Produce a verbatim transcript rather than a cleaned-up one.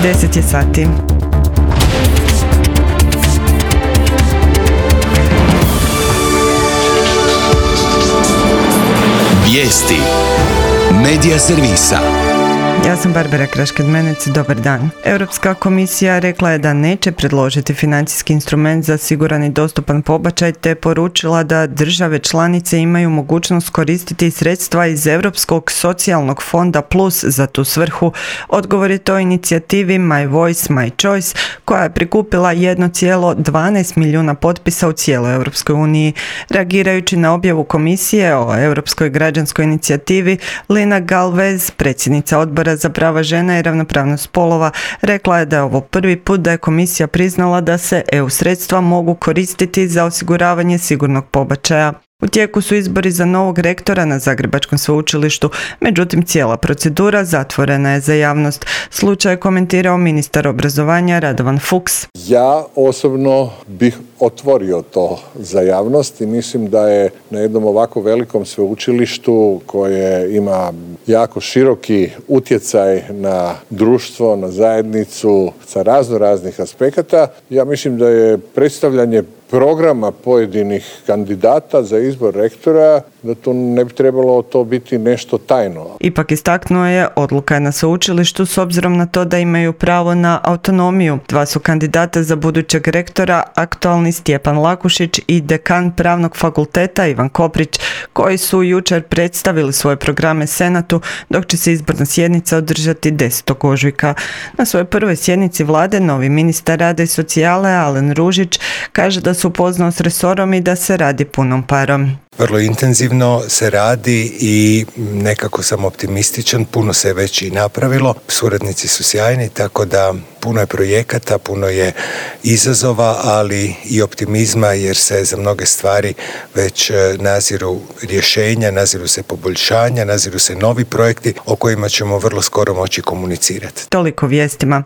deset je sati. Vijesti Medija servisa. Ja sam Barbara Krašked-Menec, dobar dan. Europska komisija rekla je da neće predložiti financijski instrument za siguran i dostupan pobačaj, te poručila da države članice imaju mogućnost koristiti sredstva iz Europskog socijalnog fonda Plus za tu svrhu. Odgovor je to inicijativi My Voice, My Choice, koja je prikupila jedan zarez dvanaest milijuna potpisa u cijeloj Europskoj uniji. Reagirajući na objavu komisije o Europskoj građanskoj inicijativi, Lina Galvez, predsjednica odbora za prava žena i ravnopravnost spolova, rekla je da je ovo prvi put da je komisija priznala da se E U sredstva mogu koristiti za osiguravanje sigurnog pobačaja. U tijeku su izbori za novog rektora na Zagrebačkom sveučilištu, međutim cijela procedura zatvorena je za javnost. Slučaj je komentirao ministar obrazovanja Radovan Fuchs. Ja osobno bih otvorio to za javnost i mislim da je na jednom ovako velikom sveučilištu koje ima jako široki utjecaj na društvo, na zajednicu sa razno raznih aspekata, ja mislim da je predstavljanje programa pojedinih kandidata za izbor rektora, da to ne bi trebalo to biti nešto tajno. Ipak istaknuo je, odluka je na sveučilištu s obzirom na to da imaju pravo na autonomiju. Dva su kandidata za budućeg rektora, aktualni Stjepan Lakušić i dekan pravnog fakulteta Ivan Koprić, koji su jučer predstavili svoje programe Senatu, dok će se izborna sjednica održati desetog ožujka. Na svojoj prvoj sjednici vlade novi ministar rada i socijale Alen Ružić kaže da se upoznao s resorom i da se radi punom parom. Vrlo intenzivno se radi i nekako sam optimističan, puno se već i napravilo, suradnici su sjajni, tako da puno je projekata, puno je izazova, ali i optimizma jer se za mnoge stvari već naziru rješenja, naziru se poboljšanja, naziru se novi projekti o kojima ćemo vrlo skoro moći komunicirati. Toliko vijestima.